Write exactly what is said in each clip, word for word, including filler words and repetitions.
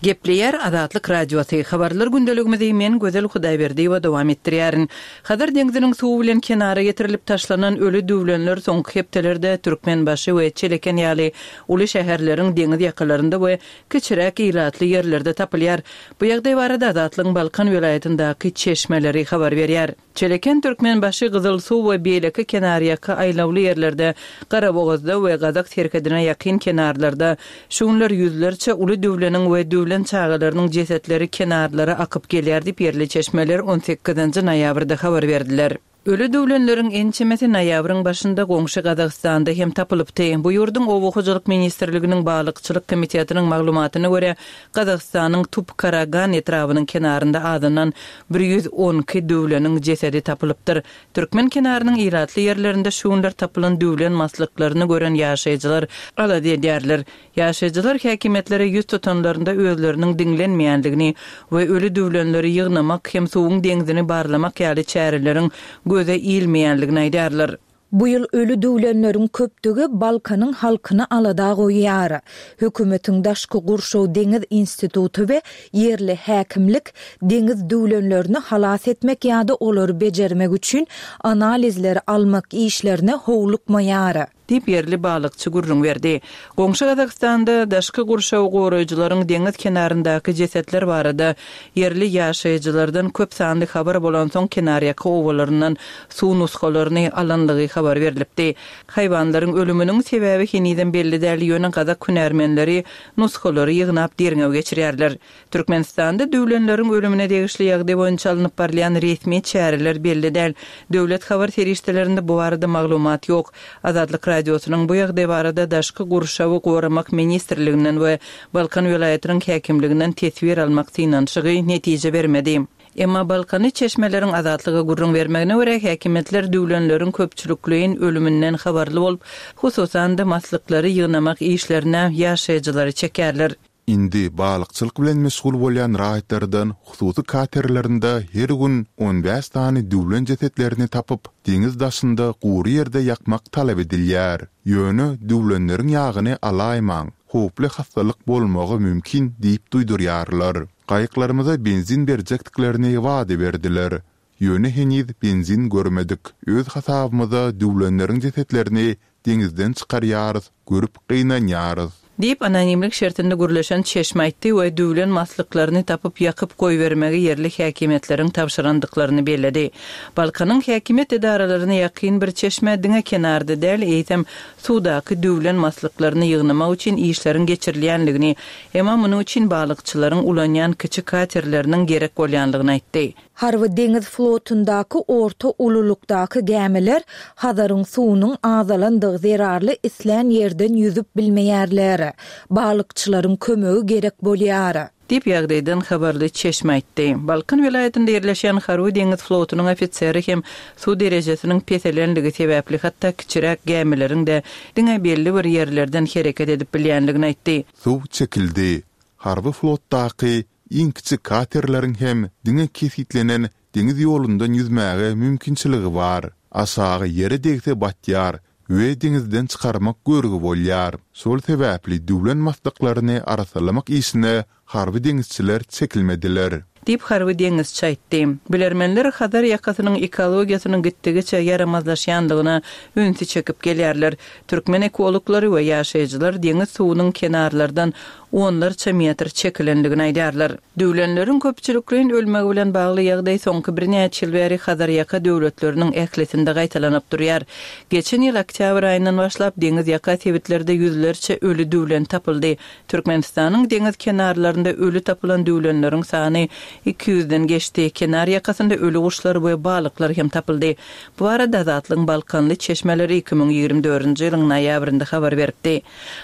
Gepleýär Azatlyk Radiosy, Habarlar gündeligimizi men Gözel Hudaýberdiýewa dowam etdirýärin. Hazar deňziniň suwy bilen kenara getirilip taşlanan öli düwlenler soňky hepdelerde Türkmenbaşy we Çeleken ýaly uly şäherleriň deňiz ýakalarynda we kiçiräk ilatly ýerlerde tapylýar. Bu ýagdaý barada Azatlygyň Balkan welaýatyndaky çeşmeleri habar berýär. Çeleken, Türkmenbaşy, Gyzylsuw we beýleki kenarýaka aýlawly ýerlerde, Garabogazda we gazak serhedine ýakyn kenarlarda şu günler ýüzlerçe uly düwleniň we düwlen çagalarynyň jesetleri kenarlara akyp gelýär diýip, ýerli çeşmeler on sekizinji noýabrda habar berdiler. Öli düwlenleriň ençemesi noýabryň başynda goňşy Gazagystanda hem tapylypdy. Bu ýurduň Oba hojalyk ministrliginiň balykçylyk komitetiniň maglumatyna görä, Gazagystanyň Tupkaragan etrabynyň kenarynda azyndan bir ýüz on iki düwleniň jesedi tapylypdyr. Türkmen kenarynyň ilatly ýerlerinde şu günler tapylan düwlen maslyklaryny gören ýaşaýjylar alada edýärler. Ýaşaýjylar häkimiýetlere ýüz tutanlarynda özleriniň diňlenmeýändigini we öli düwlenleri ýygnamak hem suwuň deňzini barlamak ýaly çäreleriň göze ilmeýändigini aýdýarlar. Bu ýyl öli düwlenleriň köpdügi Balkanyň halkyny alada goýýar. Hökümetiň daşky gurşaw deňiz instituty we ýerli häkimlik deňiz düwlenlerini halas etmek ýa-da olary bejermek üçin analizleri almak işlerine howlukmaýar. Diýip ýerli balykçy gürrüň berdi. Goňşy Gazagystanda daşky gurşaw goraýjylaryň deňiz kenaryndaky jesetler barada ýerli ýaşaýjylardan köp sanly habar bolansoň kenarýaka obalaryndan suw nusgalaryny alanlygy habar berlipdi. Haýwanlaryň ölüminiň sebäbi henizem belli däl, ýöne gazak hünärmenleri nusgalary ýygnap derňew geçirýärler. Türkmenistanda düwlenleriň ölümine degişli ýagdaý boýunça alnyp barylýan resmi çäreler belli däl. Döwlet habar serişdelerinde bu barada maglumat ýok. Azatlyk Radiosynyň bu ýagdaý barada Daşky gurşawy goramak ministrliginden we Balkan welaýatynyň häkimliginden teswir almak synanyşygy netije bermedi. Emma Balkany çeşmeleriň Azatlyga gürrüň bermegine görä, häkimiýetler düwlenleriň köpçülikleýin ölüminden habarly bolup, hususan-da maslyklary ýygnamak işlerine ýaşaýjylary çekerler. Indi balykçylyk bilen meşgul bolýan raýatlardan hususy katerlerinde her gün on bäş sany düwlen jesetlerini tapyp, deňiz daşynda gury ýerde ýakmak talap edilýär. Ýöne düwlenleriň ýagyny alaýmaň, howply hassalyk bolmagy mümkin diýip duýdurýarlar. Gaýyklarymyza benzin berjekdiklerini wada berdiler. Ýöne heniz benzin görmedik. Öz hasabymyza düwlenleriň jesetlerini deňizden çykarýarys, görüp gynanýarys. Diýip, anonimlik şertinde gürleşen çeşme aýtdy we düwlen maslyklaryny tapyp ýakyp goýbermegi ýerli häkimiýetleriň tabşyrandyklaryny belledi. Balkanyň häkimiýet edaralaryna ýakyn bir çeşme diňe kenarda däl, eýsem suwdaky düwlen maslyklaryny ýygnamak üçin işleriň geçirilýänligini, emma munuň üçin balykçylaryň ulanýan kiçi katerleriniň gerek bolýanlygyny aýtdy. Harby deňiz flotundaky orta ululykdaky gämiler Hazaryň suwunyň azalandygy zerarly islän ýerden ýüzüp bilmeýärler. Balykçylaryň kömegi gerek bolýar. Diýip ýagdaýdan habarly çeşme aýtdy. Balkan welaýatynda ýerleşýän Harby deňiz flotunyň ofiseri hem suw derejesiniň peselenligi sebäpli hatda kiçiräk gämileriň-de diňe belli bir ýerlerden hereket edip bilýänligini aýtdy. Suw çekildi. Harby flotdaky iň kiçi katerleriň hem diňe kesgitlenen deňiz ýolundan ýüzmäge mümkinçiligi bar. Aşagy ýere degse batýar we deňizden çykarmak görgi bolýar. Şol sebäpli düwlen maslyklaryny arassalamak işine harby deňizçiler çekilmediler. Diýip harby deňizçi aýtdy. Bilermenler Hazar ýakasynyň ekologiýasynyň gitdigiçe ýaramazlaşýanlygyna ünsi çekip gelýärler. Türkmen ekologlary we ýaşaýjylar deňiz suwunyň kenarlardan onlarça metr çekilenligini aýdýarlar. Düwlenleriň köpçülikleýin ölmegi bilen bagly ýagdaý soňky birnäçe ýyl bäri Hazar ýaka döwletleriniň ählisinde gaýtalanyp durýar. Geçen ýyl oktýabr aýyndan başlap deňiz ýaka sebitlerde ýüzlerçe öli düwlen tapyldy. Türkmenistanyň deňiz kenarlarynda öli tapylan düwlenleriň sany iki ýüzden geçdi. Kenar ýakasynda öli guşlar we balyklar hem tapyldy. Bu barada Azatlygyň Balkanly çeşmeleri iki müň ýigrimi dördünji ýylyň noýabrynda habar beripdi.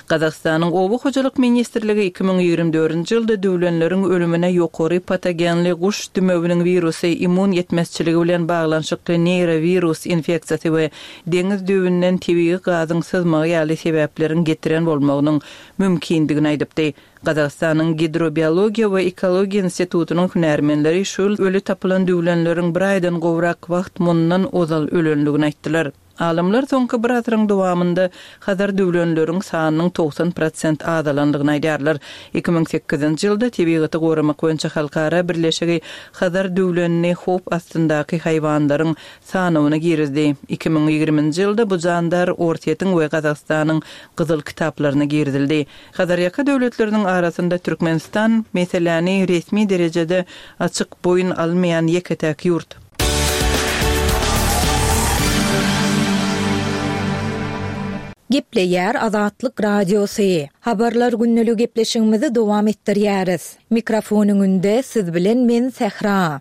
Gazagystanyň Oba hojalyk ministrligi iki müň ýigrimi dördünji ýylda düwlenleriň ölümine ýokary patogenli guş dümewiniň wirusy, immun ýetmezçiligi bilen baglanyşykly neýrowirus infeksiýasy we deňiz düwünden tebigy gazyň syzmagy ýaly sebäpleriň getiren bolmagynyň mümkindigini aýdypdy. Gazagystanyň Gidrobiologiýa we ekologiýa institutynyň hünärmenleri şu ýyl öli tapylan düwlenleriň bir aýdan gowrak wagt mundan ozal ölenligini aýtdylar. Alymlar soňky bir asyryň dowamynda Hazar düwlenleriň sanynyň togsan prosent azalandygyny aýdýarlar. Iki müň sekizinji ýylda Tebigaty goramak boýunça halkara birleşigi Hazar düwlenini howp astyndaky haýwanlaryň sanawyna girizdi. Iki müň ýigriminji ýylda bu jandar Orsýetiň we Gazagystanyň gyzyl kitaplaryna girizildi. Hazarýaka döwletleriniň arasynda Türkmenistan meseläni resmi derejede açyk boýun almaýan ýeke-täk ýurt. Gepleýär Azatlyk Radiosy. Habarlar günlügi gepleşigimizi dowam etdirýäris. Mikrofon öňünde siz bilen men Sähra.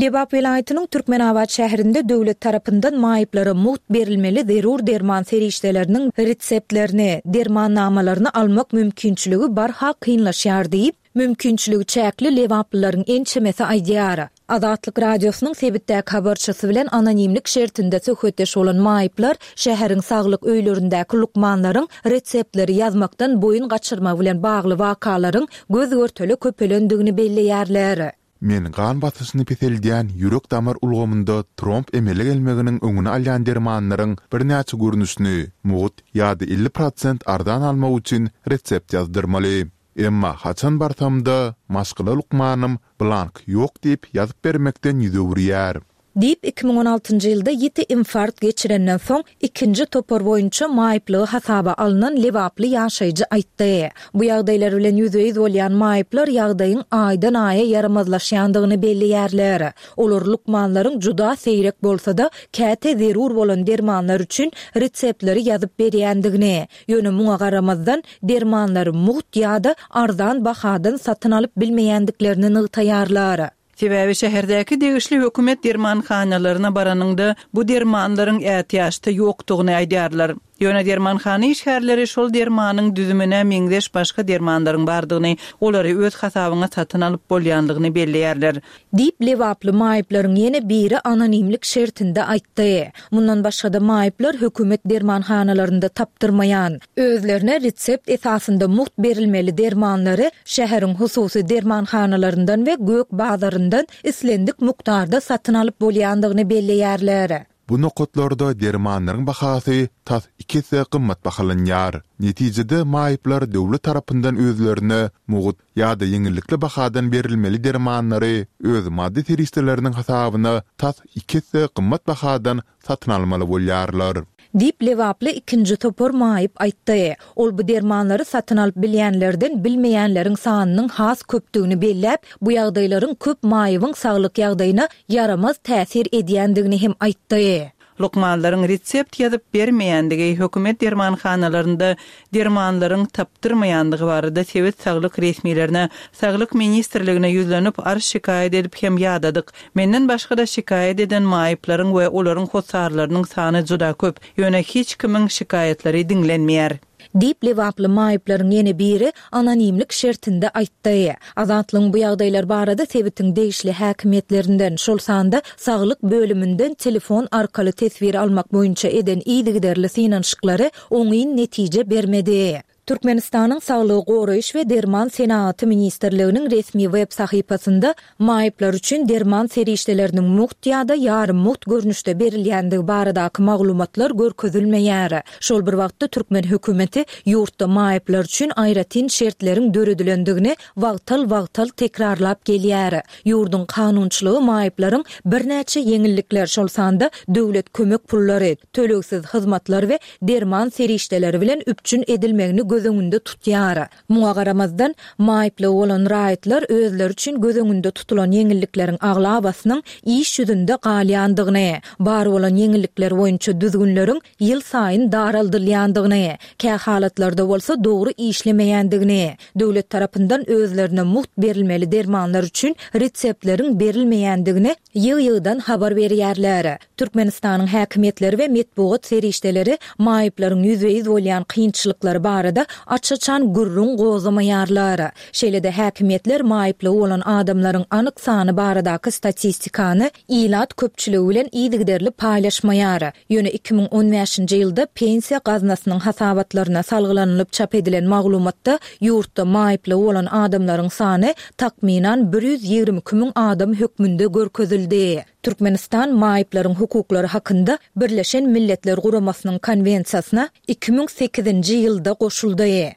Lebap welaýatynyň Türkmenabat şäherinde döwlet tarapyndan maýyplara mugt berilmeli zerur derman serişdeleriniň reseptlerini, dermannamalaryny almak mümkinçiligi barha kynlaşýar diýip, mümkinçiligi çäkli lebaplylaryň ençemesi aýdýar. Azatlyk Radiosynyň sebitdäki habarçysy bilen anonimlik şertinde söhbetdeş bolan maýyplar şäheriň saglyk öýlerindäki lukmanlaryň reseptleri ýazmakdan boýun gaçyrmak bilen bagly wakalaryň göz-görtele köpelendigini belleýärler. Men gan basyşyny peseldýän ýürek damar ulgamynda tromb emele gelmeginiň öňüni alýan dermanlaryň birnäçe görnüşini mugt ýa-da elli prosent arzan almak üçin resept ýazdyrmaly. Emma haçan barsamda maşgala lukmanym blank ýok diýip ýazyp bermekden ýüz öwürýär. Diýip iki müň on altynjy ýylda ýiti infarkt geçirenden soň ikinji topar boýunça maýyplygy hasaba alnan lebaply ýaşaýjy aýtdy. Bu ýagdaýlar bilen ýüzbe-ýüz bolýan maýyplar ýagdaýyň aýdan aýa ýaramazlaşýandygyny belleýärler. Olar lukmanlaryň juda seýrek bolsa-da, käte zerur bolan dermanlar üçin reseptleri ýazyp berýändigini, ýöne muňa garamazdan dermanlary mugt ýa-da arzan bahadan satyn alyp bilmeýändiklerini nygtaýarlar. Sebäbi şäherdäki degişli hökümet dermanhanalaryna baranyňda bu dermanlaryň ätiýaçda ýokdugyny aýdýarlar. Ýöne dermanhana işgärleri şol dermanyň düzümine meňzeş başga dermanlaryň bardygyny, olary öz hasabyňa satyn alyp bolýandygyny belleýärler. Diýip lebaply maýyplaryň ýene biri anonimlik şertinde aýtdy. Mundan başga-da maýyplar hökümet dermanhanalarynda tapdyrmaýan, özlerine resept esasynda mugt berilmeli dermanlary şäheriň hususy dermanhanalaryndan we gök bazaryndan islendik mukdarda satyn alyp bolýandygyny belleýärler. Bu nokatlarda dermanlaryň bahasy tas iki esse gymmat bahalanýar. Netijede maýyplar döwlet tarapyndan özlerine mugt ýa-da ýeňillikli bahadan berilmeli dermanlary öz maddy serişdeleriniň hasabyna tas iki esse gymmat bahadan satyn almaly bolýarlar. Diýip lebaply ikinji topar maýyp aýtdy. Ol bu dermanlary satyn alyp bilýänlerden bilmeýänleriň sanynyň has köpdügini belläp, bu ýagdaýlaryň köp maýybyň saglyk ýagdaýyna ýaramaz täsir edýändigini hem aýtdy. Lukmanlaryň resept ýazyp bermeýändigi, hökümet dermanhanalarynda dermanlaryň tapdyrmaýandygy barada sebit saglyk resmilerine, saglyk ministrligine ýüzlenip arz şikaýat edip hem ýadadyk. Menden başga-da şikaýat eden maýyplaryň we olaryň hossarlarynyň sany juda köp, ýöne hiç kimiň şikaýatlary diňlenmeýär. Diýip lebaply maýyplaryň ýene biri anonimlik şertinde aýtdy. Azatlygyň bu ýagdaýlar barada sebitiň degişli häkimiýetlerinden, şol sanda saglyk bölüminden telefon arkaly teswir almak boýunça eden yzygiderli synanyşyklary oňyn netije bermedi. Türkmenistanyň Saglygy goraýyş we derman senagaty ministrliginiň resmi web sahypasynda maýyplar üçin derman serişdeleriniň mugt ýa-da ýarym mugt görnüşde berilýändigi baradaky maglumatlar görkezilmeýär. Şol bir wagtda türkmen hökümeti ýurtda maýyplar üçin aýratyn şertleriň döredilendigini wagtal-wagtal tekrarlap gelýär. Ýurduň kanunçylygy maýyplaryň birnäçe ýeňillikler, şol sanda döwlet kömek pullary, tölegsiz hyzmatlar we derman serişdeleri bilen üpjün edilmegini göz öňünde tutýar. Muňa garamazdan, maýyplygy bolan raýatlar özleri üçin göz öňünde tutulan ýeňillikleriň aglabasynyň iş ýüzünde galýandygyny, bar bolan ýeňillikler boýunça düzgünleriň ýyl saýyn daraldylýandygyny, kä halatlarda bolsa dogry işlemeýändigini, döwlet tarapyndan özlerine mugt berilmeli dermanlar üçin reseptleriň berilmeýändigini ýygy-ýygydan habar berýärler. Türkmenistanyň häkimiýetleri we metbugat serişdeleri maýyplaryň ýüzbe-ýüz bolýan kynçylyklary barada aç-açan gürrüň gozgamaýarlar. Şeýle-de häkimiýetler maýyplygy bolan adamlaryň anyk sany baradaky statistikany ilat köpçüligi bilen yzygiderli paýlaşmaýar. Ýöne iki müň on bäşinji ýylda pensiýa gaznasynyň hasabatlaryna salgylanylyp çap edilen maglumatda ýurtda maýyplygy bolan adamlaryň sany takmynan bir ýüz ýigrimi iki müň adam hökmünde görkezildi. Türkmenistan maýyplaryň hukuklary hakynda Birleşen Milletler Guramasynyň Konwensiýasyna iki müň sekizinji ýylda goşuldy.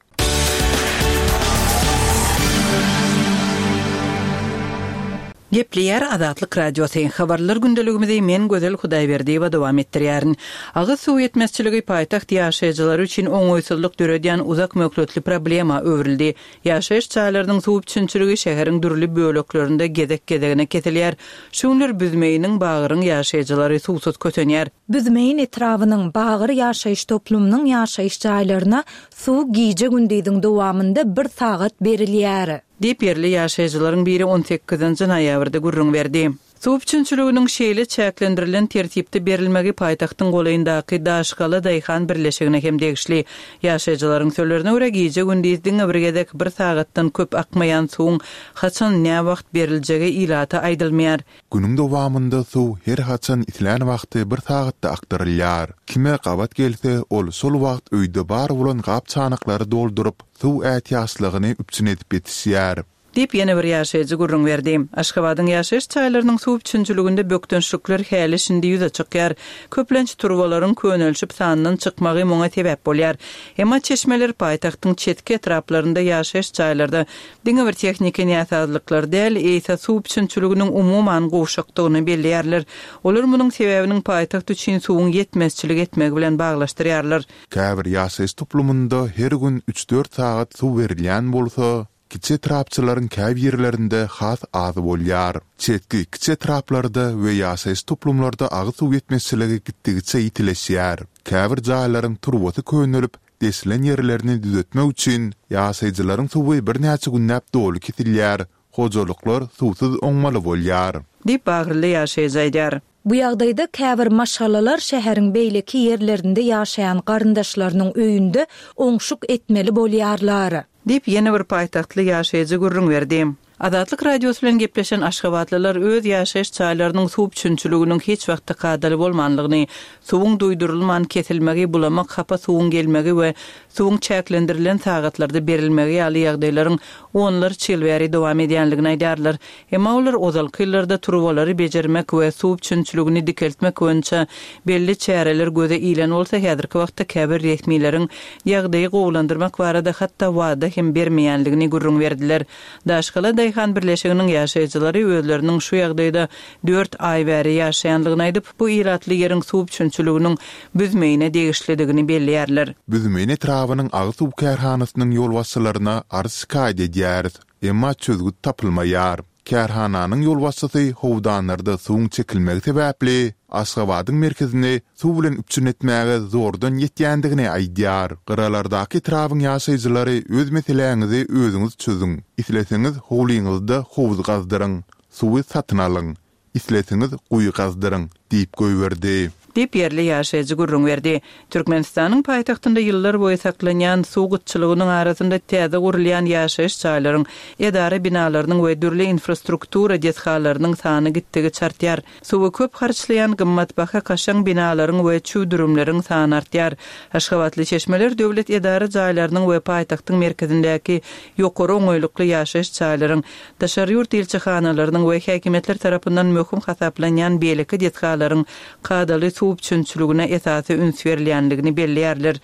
Gepleýär Azatlyk Radiosy. Habarlar gündeligimizi men Gözel Hudaýberdiýewa dowam etdirýärin. Agyz suw ýetmezçiligi paýtagt ýaşaýjylary üçin oňaýsyzlyk döredýän uzak möhletli problema öwrüldi. Ýaşaýyş jaýlarynyň suw üpjünçiligi şäheriň dürli böleklerinde gezek-gezegine kesilýär. Şu günler Büzmeýiniň, Bagyryň ýaşaýjylary suwsuz kösenýär. Büzmeýin etrabynyň Bagyr ýaşaýyş toplumynyň ýaşaýyş jaýlaryna suw gije-gündiziň dowamynda bir sagat berilýär. Diýip, ýerli ýaşaýjylaryň biri on sekizinji noýabrda gürrüň berdi. Suw üpjünçiliginiň şeýle çäklendirilen tertipde berilmegi paýtagtyň golaýyndaky Daşgala daýhan birleşigine hem degişli. Ýaşaýjylaryň sözlerine görä, gije-gündiz diňe bir gezek bir sagatdan köp akmaýan suwuň haçan, näwagt beriljegi ilata aýdylmaýar. Günüň dowamynda suw her haçan islän wagty bir sagatda akdyrylýar. Kime gabat gelse, ol şol wagt öýde bar bolan gap-çanaklary dolduryp, suw ätiýaçlygyny üpjün edip ýetişýär. Diýip, ýene bir ýaşaýjy gürrüň berdi. Aşgabadyň ýaşaýyş jaýlarynyň suw üpjünçiliginde bökdençlikler häli şindi ýüze çykýar. Köplenç turbalaryň könelişip sandan çykmagy muňa sebäp bolýar. Emma çeşmeler paýtagtyň çetki etraplarynda ýaşaýyş jaýlarda diňe bir tehniki näsazlyklar däl, eýse suw üpjünçiliginiň umuman gowşakdygyny belleýärler. Olar munuň sebäbiniň paýtagt üçin suwuň ýetmezçilik etmegi bilen baglaşdyrýarlar. Käbir ýaşaýyş toplumynda her gün üç-dört sagat suw berilýän bolsa, kiçi etrapçylaryň käbirlerinde has az bolýar. Çetki kiçi etraplarda we ýaşaýyş toplumlarda agyz suw ýetmezçiligi gitdigiçe ýitileşýär. Käbir jaýlaryň turbasy könelip, deşilen ýerlerini düzetmek üçin ýaşaýjylaryň suwy birnäçe günläp doly kesilýär, hojalyklar suwsuz oňmaly bolýar. Diýip, bagryly ýaşaýjy aýdýar. Bu ýagdaýda käbir maşgalalar şäheriň beýleki ýerlerinde ýaşaýan garyndaşlarynyň öýünde oňşuk etmeli bolýarlar. Diýip, ýene bir paýtagtly ýaşaýjy gürrüň berdi. Azatlyk Radiosy bilen gepleşen aşgabatlylar öz ýaşaýyş jaýlarynyň suw üpjünçiliginiň hiç wagtda kadaly bolmanlygyny, suwuň duýdurylman kesilmegi, bulamak, hapa suwuň gelmegi we suwuň çäklendirilen sagatlarda berilmegi ýaly ýagdaýlaryň onlarça ýyl bäri dowam edýänligini aýdarlar. Emma olar ozalky ýyllarda turbalary bejermek we suw üpjünçiligini dikeltmek boýunça belli çäreler göze ilen bolsa, häzirki wagtda käbir resmileriň ýagdaýy gowulandyrmak barada hatda wada hem bermeýänligini gürrüň berdiler. Daşgala Daýhan birleşiginiň ýaşaýjylary özleriniň şu ýagdaýda dört aý bäri ýaşaýanlygyny aýdyp, bu ilatly ýeriň suw üpjünçiliginiň Büzmeýine degişlidigini belleýärler. Büzmeýin etrabynyň agyz suw kärhanasynyň ýolbaşçylaryna arz şikaýat edýäris, emma çözgüt tapylmaýar. Kärhananyň ýolbaşçysy howdanlarda suwuň çekilmegi sebäpli Aşgabadyň merkezini suw bilen üpjün etmäge zordan ýetýändigini aýdýar. Gyralardaky etrabyň ýaşaýjylary öz meseläňizi özüňiz çözüň. Isleseňiz howlyňyzda howuz gazdyryň, suwy satyn alyň. Isleseňiz guýy gazdyryň, diýip goýberdi. Diýip, ýerli ýaşaýjy gürrüň berdi. Türkmenistanyň paýtagtynda ýyllar boýy saklanýan suw gytçylygynyň arasynda täze gurulýan ýaşaýyş jaýlaryň, edara binalarynyň we dürli infrastruktura desgalarynyň sany gitdigiçe artýar. Suwy köp harçlaýan gymmatbaha kaşaň binalaryň we çüwdürimleriň sany artýar. Aşgabatly çeşmeler döwlet edara jaýlarynyň we paýtagtyň merkezindäki ýokary oňaýlykly ýaşaýyş jaýlaryň, daşary ýurt ilçihanalarynyň we häkimiýetler tarapyndan möhüm hasaplanýan beýleki desgalaryň kadaly suw üpjünçiligine esasy üns berilýänligini belleýärler.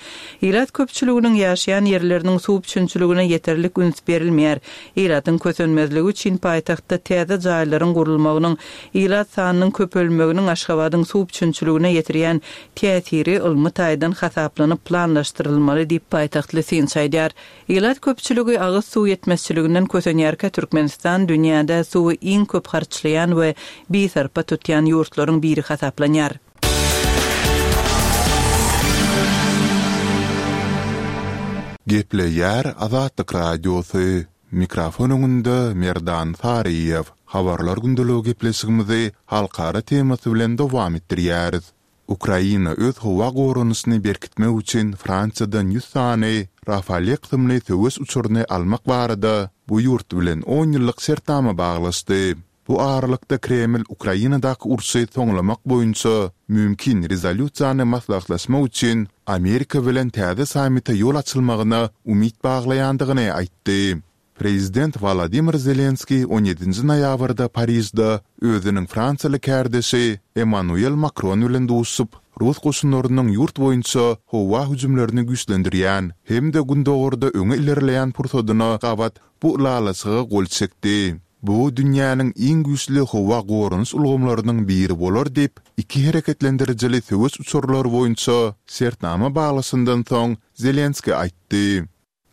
Ilat köpçüliginiň ýaşaýan ýerleriniň suw üpjünçiligine ýeterlik üns berilmeýär. Ilatyň kösenmezligi üçin paýtagtda täze jaýlaryň gurulmagynyň, ilat sanynyň köpelmeginiň Aşgabadyň suw üpjünçiligine ýetirýän täsiri ylmy taýdan hasaplanyp planlaşdyrylmaly diýip paýtagtly synçy aýdýar. Ilat köpçüligi agyz suw ýetmezçiliginden kösenýärkä Türkmenistan dünýäde suwy iň köp harçlaýan we bisarpa tutýan ýurtlaryň biri hasaplanýar. Gepleýär Azatlyk Radiosy. Mikrofon öňünde Merdan Saryýew. Habarlar gündeligi gepleşigimizi halkara temasy bilen dowam etdirýäris. Ukraina öz howa goranyşyny berkitmek üçin Fransiýadan ýüz sany Rafale kysymly söweş uçaryny almak barada bu ýurt bilen on ýyllyk şertnama baglaşdy. Bu aralykda Kreml Ukrainadaky urşy soňlamak boýunça mümkin rezolýusiýany maslahatlaşmak üçin Amerika bilen täze sammite ýol açylmagyna umyt baglaýandygyny aýtdy. Prezident Wolodymyr Zelenskiý on ýedinji noýabrda Parižde özüniň fransiýaly kärdeşi Emmanuel Makron bilen duşup, rus goşunlarynyň ýurt boýunça howa hüjümlerini güýçlendirýän hem-de gündogarda öňe ilerleýän pursadyna gabat bu ylalaşyga gol çekdi. Bu dünýäniň iň güýçli howa goranyş ulgamlarynyň biri bolar diýip, iki hereketlendirijili söweş uçarlary boýunça şertnama baglaşandan soň Zelenskiý aýtdy.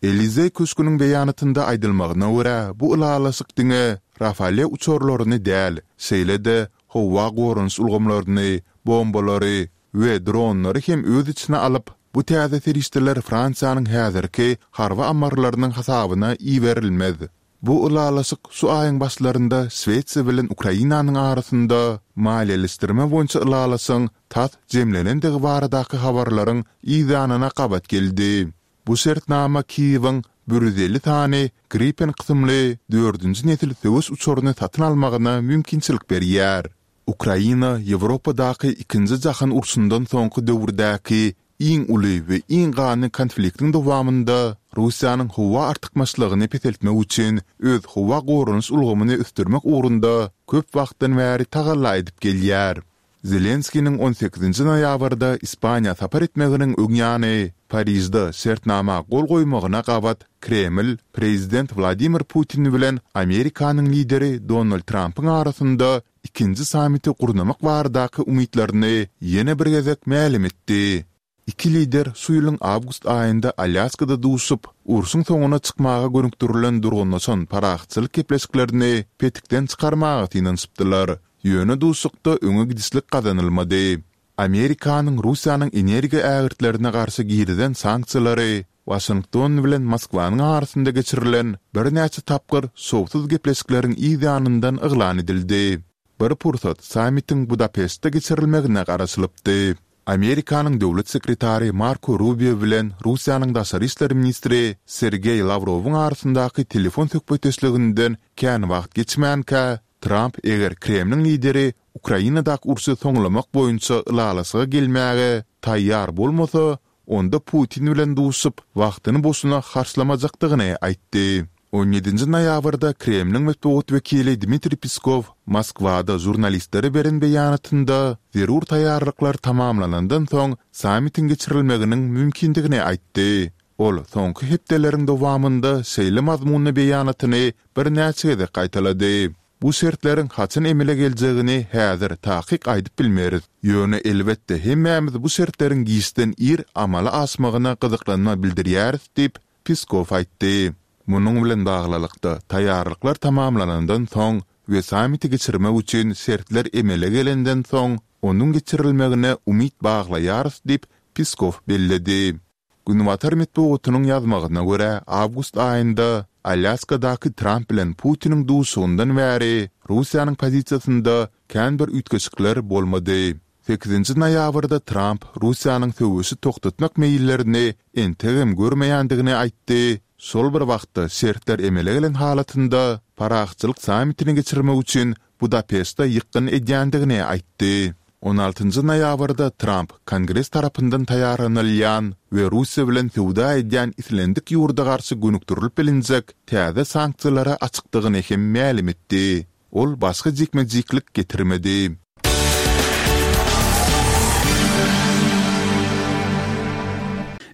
Elizeý köşgüniň beýanatynda aýdylmagyna görä, bu ylalaşyk diňe Rafale uçarlaryny däl, şeýle-de howa goranyş ulgamlaryny, bombalary we dronlary hem öz içine alyp, bu täze serişdeler Fransiýanyň häzirki harby ammarlarynyň hasabyna iberilmez. Bu ylalaşyk şu aýyň başlarynda Şwesiýa bilen Ukrainanyň arasynda maliýeleşdirme boýunça ylalaşygyň tas jemlenendigi baradaky habarlaryň yzýanyna gabat geldi. Bu şertnama Kiýewiň bir ýüz elli sany Gripen kysymly dördünji nesil söweş uçaryny satyn almagyna mümkinçilik berýär. Ukraina Ýewropadaky Ikinji jahan urşundan soňky döwürdäki iň uly we iň ganly konfliktiň dowamynda Russiýanyň howa artykmaçlygyny peseltmek üçin öz howa goranyş ulgamyny ösdürmek ugrunda köp wagtdan bäri tagalla edip gelýär. Zelenskiniň on sekizinji noýabrda Ispaniýa sapar etmeginiň öň ýany Parižde şertnama gol goýmagyna gabat Kreml prezident Wladimir Putin bilen Amerikanyň lideri Donald Trampyň arasynda ikinji sammiti gurnamak baradaky umytlaryny ýene bir gezek mälim etdi. Iki lider şu ýylyň awgust aýynda Alýaskada duşup, urşuň soňuna çykmaga gönükdirilen durgunlaşan parahatçylyk gepleşiklerini petikden çykarmaga synanyşypdylar. Ýöne duşuşykda öňe gidişlik gazanylmady. Amerikanyň Russiýanyň energiýa ägirtlerine garşy girizen sanksiýalary Waşington bilen Moskwanyň arasynda geçirilen birnäçe tapgyr şowsuz gepleşikleriň yz ýanyndan yglan edildi. Bir pursat sammitiň Budapeştde geçirilmegine garaşylypdy. Amerikanyň döwlet sekretary Marko Rubio bilen Russiýanyň daşary işler ministri Sergeý Lawrowyň arasyndaky telefon söhbetdeşliginden kän wagt geçmänkä, Tramp eger Kremliň lideri Ukrainadaky urşy soňlamak boýunça ylalaşyga gelmäge taýýar bolmasa, onda Putin bilen duşup, wagtyny boşuna harçlamajakdygyny aýtdy. On ýedinji noýabrda Kremliň metbugat wekili Dmitriý Peskow Moskwada žurnalistlere beren beýanatynda zerur taýýarlyklar tamamlanandan soň sammitiň geçirilmeginiň mümkindigini aýtdy. Ol soňky hepdeleriň dowamynda şeýle mazmunly beýanatyny birnäçe gezek gaýtalady. Bu şertleriň haçan emele geljegini häzir takyk aýdyp bilmeris. Ýöne, elbetde, hemmämiz bu şertleriň giçden ir amala aşmagyna gyzyklanma bildirýäris diýip, Peskow aýtdy. Munuň bilen baglylykda, taýýarlyklar tamamlanandan soň we sammiti geçirmek üçin şertler emele gelenden soň, onuň geçirilmegine umyt baglaýarys diýip, Peskow belledi. Günbatar metbugatynyň ýazmagyna görä, awgust aýynda Alýaskadaky Tramp bilen Putiniň duşuşygyndan bäri Russiýanyň pozisiýasynda kän bir üýtgeşikler bolmady. Sekizinji noýabrda Tramp Russiýanyň söweşi togtatmak meýillerini entegem görmeýändigini aýtdy, şol bir wagtda şertler emele gelen halatynda parahatçylyk sammitini geçirmek üçin Budapeşte ýykgyn edýändigini aýtdy. On altynjy noýabrda Tramp Kongres tarapyndan taýýarlanylýan we Russiýa bilen söwda edýän islendik ýurda garşy gönükdirilip bilinjek täze sanksiýalara açykdygyny hem mälim etdi. Ol başga jikme-jiklik getirmedi.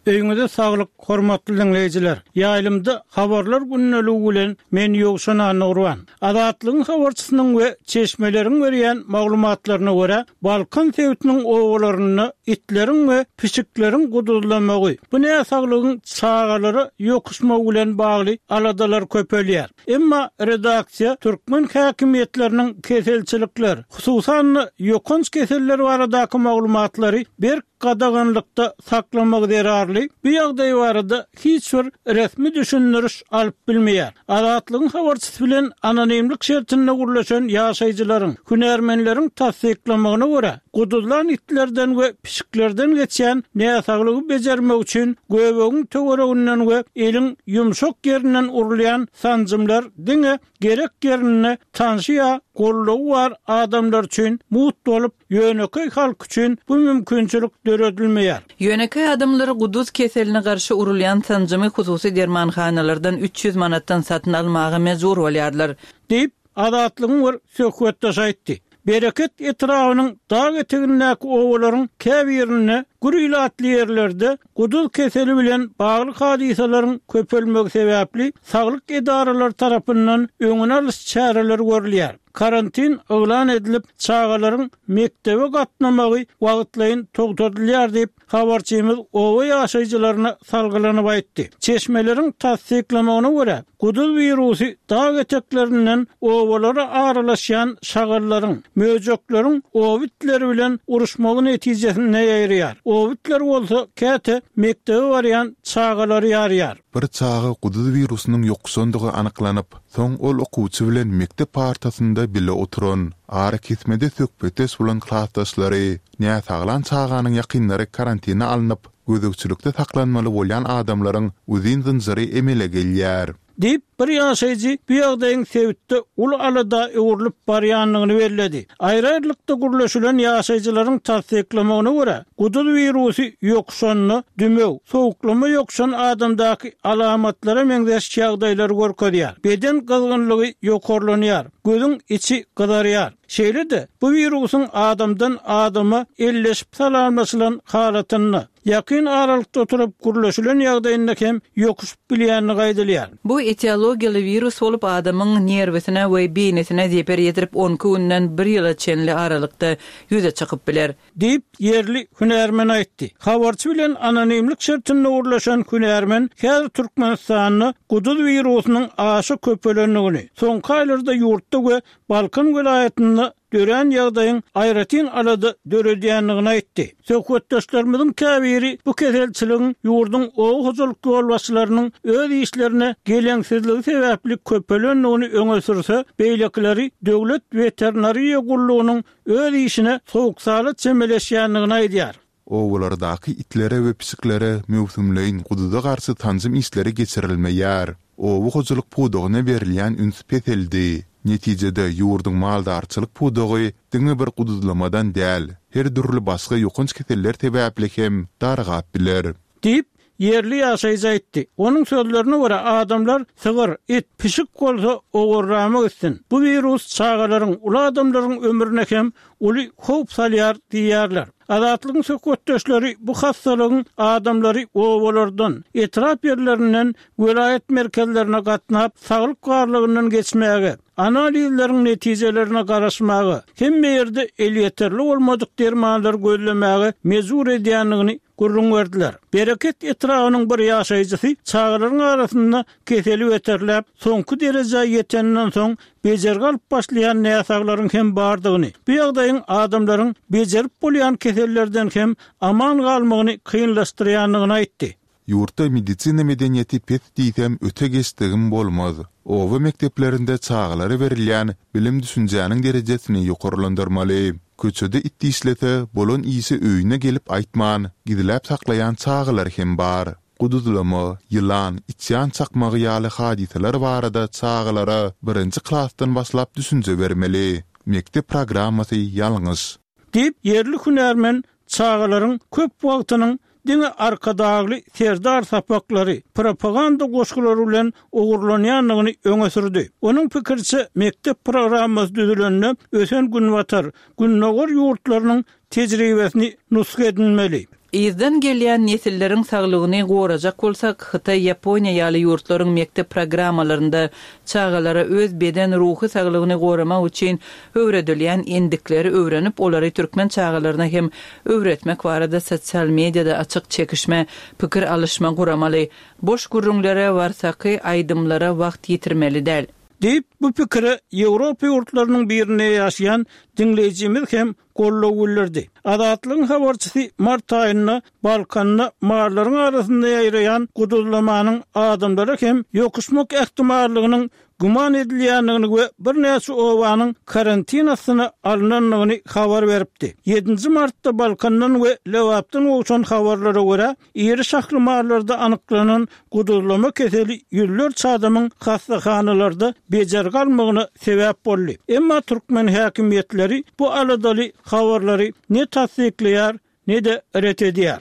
Öýüňize saglyk, hormatly diňleýjiler! Ýaýlymda Habarlar gündeligi bilen men Ýowşan Annagurban. Azatlygyň habarçysynyň we çeşmeleriň berýän maglumatlaryna görä, Balkan sebitiniň obalarynda itleriň we pişikleriň guduzlamagy, bu näsaglygyň çagalara ýokuşmagy bilen bagly aladalar köpelýär. Emma redaksiýa türkmen häkimiýetleriniň keselçilikler, hususan-da, ýokanç keseller baradaky maglumatlary berk gadaganlykda saklamagy zerarly, bu ýagdaý barada hiç bir resmi düşündiriş alyp bilmeýär. Azatlygyň habarçysy bilen anonimlik şertinde gürleşen ýaşaýjylaryň, hünärmenleriň tassyklamagyna görä, Guduzlan itlerden we pişiklerden geçýän näsaglygy bejermek üçin göbegiň töwereginden we eliň ýumşak ýerinden urulýan sanjymlar diňe gerek ýerinde tanşy ýa gollugy bar adamlar üçin mugt bolup, ýönekeý halk üçin bu mümkinçilik döredilmeýär. Ýönekeý adamlar guduz keseline garşy urulýan sanjymy hususy dermanhanalardan üç ýüz manatdan satyn almaga mejbur bolýarlar. Diýip, Azatlygyň bir söhbetdeşi aýtdy. Bereket etrabynyň dag etegindäki obalaryň käbirinde gür ilatly ýerlerde guduz keseli bilen bagly hadysalaryň köpelmegi sebäpli saglyk edaralary tarapyndan öňüni alyş çäreleri görülýär. Karantin yglan edilip, çagalaryň mekdebe gatnamagy wagtlaýyn togtadylýar diýip, habarçymyz oba ýaşaýjylaryna salgylanyp aýtdy. Çeşmeleriň tassyklamagyna görä, guduz wirusy dag eteklerinden obalara aralaşýan şagallaryň, möjekleriň oba itleri bilen uruşmagy netijesinde ýaýraýar. Oba itleri bolsa käte mekdebe barýan çagalary ýarýar. Bir çaga guduz wirusynyň ýokuşandygy anyklanyp, soň ol okuwçy bilen mekdep partasynda bile oturan, arakesmede söhbetdeş bolan klasdaşlary, näsaglan çaganyň ýakynlary karantina alnyp, gözegçilikde saklanmaly bolýan adamlaryň uzyn zynjyry emele gelýär. Diýip, bir ýaşaýjy bu ýagdaýyň sebitde uly alada öwrülip barýandygyny belledi. Aýry-aýrylykda gürleşilen ýaşaýjylaryň tassyklamagyna görä, guduz wirusy ýokuşanda dümew, sowuklama ýokuşan adamdaky alamatlara meňzeş ýagdaýlary görkezýär. Beden gyzgynlygy ýokarlanýar, gözüň içi gyzarýar. Şeýle-de, bu wirusyň adamdan adama elleşip salamlaşylan halatynda, ýakyn aralykda oturyp gürleşilen ýagdaýynda hem ýokuşyp bilýänligi aýdylýar. Bu etiologiýaly wirus bolup, adamyň nerwisine we beýnisine zeper ýetirip, on iki günden bir ýyla çenli aralykda ýüze çykyp biler. Diýip, ýerli hünärmen aýtdy. Habarçy bilen anonimlik şertinde gürleşen hünärmen häzir Türkmenistanda guduz wirusynyň aşa köpelendigini, soňky aýlarda ýurtda we Balkan welaýatynda dörän ýagdaýyň aýratyn alada döredýändigini aýtdy. Söhbetdeşlerimiziň käbiri bu keselçiligiň ýurduň oba hojalyk ýolbaşçylarynyň öz işlerine geleňsizligi sebäpli köpelendigini öňe sürse, beýlekileri döwlet weterinariýa gullugynyň öz işine sowuk-sala çemeleşýändigini aýdýar. Obalardaky itlere we pişiklere möwsümleýin guduza garşy sanjym işleri geçirilmeýär. Oba hojalyk pudagyna berilýän üns peseldi. Netijede ýurduň maldarçylyk pudagy diňe bir guduzlamadan däl, her dürli başga ýokanç keseller sebäpli hem dargap biler. Diýip, ýerli ýaşaýjy aýtdy. Onuň sözlerine görä, adamlar sygyr, it, pişik bolsa ogurlamak istin. Bu wirus çagalaryň, uly adamlaryň ömrüne hem uly howp salýar diýýärler. Azatlygyň söhbetdeşleri bu hastalygyň adamlary obalardan, etrap ýerlerinden welaýat merkezlerine gatnap, saglyk barlagyndan geçmäge, analizleriň netijelerine garaşmaga, hemme ýerde elýeterli bolmadyk dermanlary gözlemäge mejbur edýändigini gürrüň berdiler. Bereket etrabynyň bir ýaşaýjysy çagalaryň arasynda keseli beterläp, soňky derejä ýetenden soň bejergi alyp başlaýan näsaglaryň hem bardygyny, bu ýagdaýyň adamlaryň bejerip bolýan kesellerden hem aman galmagyny kynlaşdyrýandygyny aýtdy. Ýurtda medisina medeniýeti pes diýsem öte geçdigim bolmaz. Oba mekdeplerinde çagalara berilýän bilim düşünjäniň derejesini ýokarlandyrmaly. Köçede it dişlese, bolan işi öýüne gelip aýtman, gizläp saklaýan çagalar hem bar. Guduzlama, ýylan, içýan çakmagy ýaly hadysalar barada çagalara birinji klasdan başlap düşünje bermeli. Mekdep programmasy ýalňyş. Diýip, ýerli hünärmen çagalaryň köp wagtynyň diňe Arkadagly Serdar sapaklary, propaganda goşgulary bilen ogurlanýandygyny öňe sürdi. Onuň pikiriçe, mekdep programmasy düzülende ösen günbatar, gündogar ýurtlarynyň tejribesini nusga edinmeli. Yzdan gelýän nesilleriň saglygyny gorajak bolsak, Hytaý, Ýaponiýa ýaly ýurtlaryň mekdep programmalarynda çagalara öz beden ruhy saglygyny goramak üçin öwredilýän endikleri öwrenip, olary türkmen çagalaryna hem öwretmek barada sosial mediada açyk çekişme, pikir alyşma guramaly. Boş gürrüňlere, warsaky aýdymlara wagt ýitirmeli däl. Diýip, Bu pikire Ýewropa ýurtlarynyň birinde ýaşaýan diňleýjimiz hem goldaw bildirdi. Azatlygyň habarçysy mart aýynda Balkanda mallaryň arasynda ýaýraýan guduzlamanyň adamlara hem ýokuşmak ähtimallygynyň güman edilýändigini we birnäçe obanyň karantin astyna alnandygyny habar beripdi. Ýedinji martda Balkandan we Lebapdan gowşan habarlara görä, iri şahly mallarda anyklanan guduzlama keseli ýüzlerçe adamyň hassahanalarda bejergi almagyna sebäp boldy. Emma türkmen häkimiýetleri bu aladaly habarlary ne tassyklaýar, ne-de ret edýär.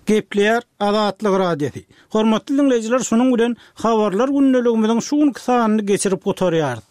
Gepleýär Azatlyk Radiosy. Hormatly diňleýjiler, şunuň bilen Habarlar gündeligimiziň şu günki sanyny geçirip gutarýarys.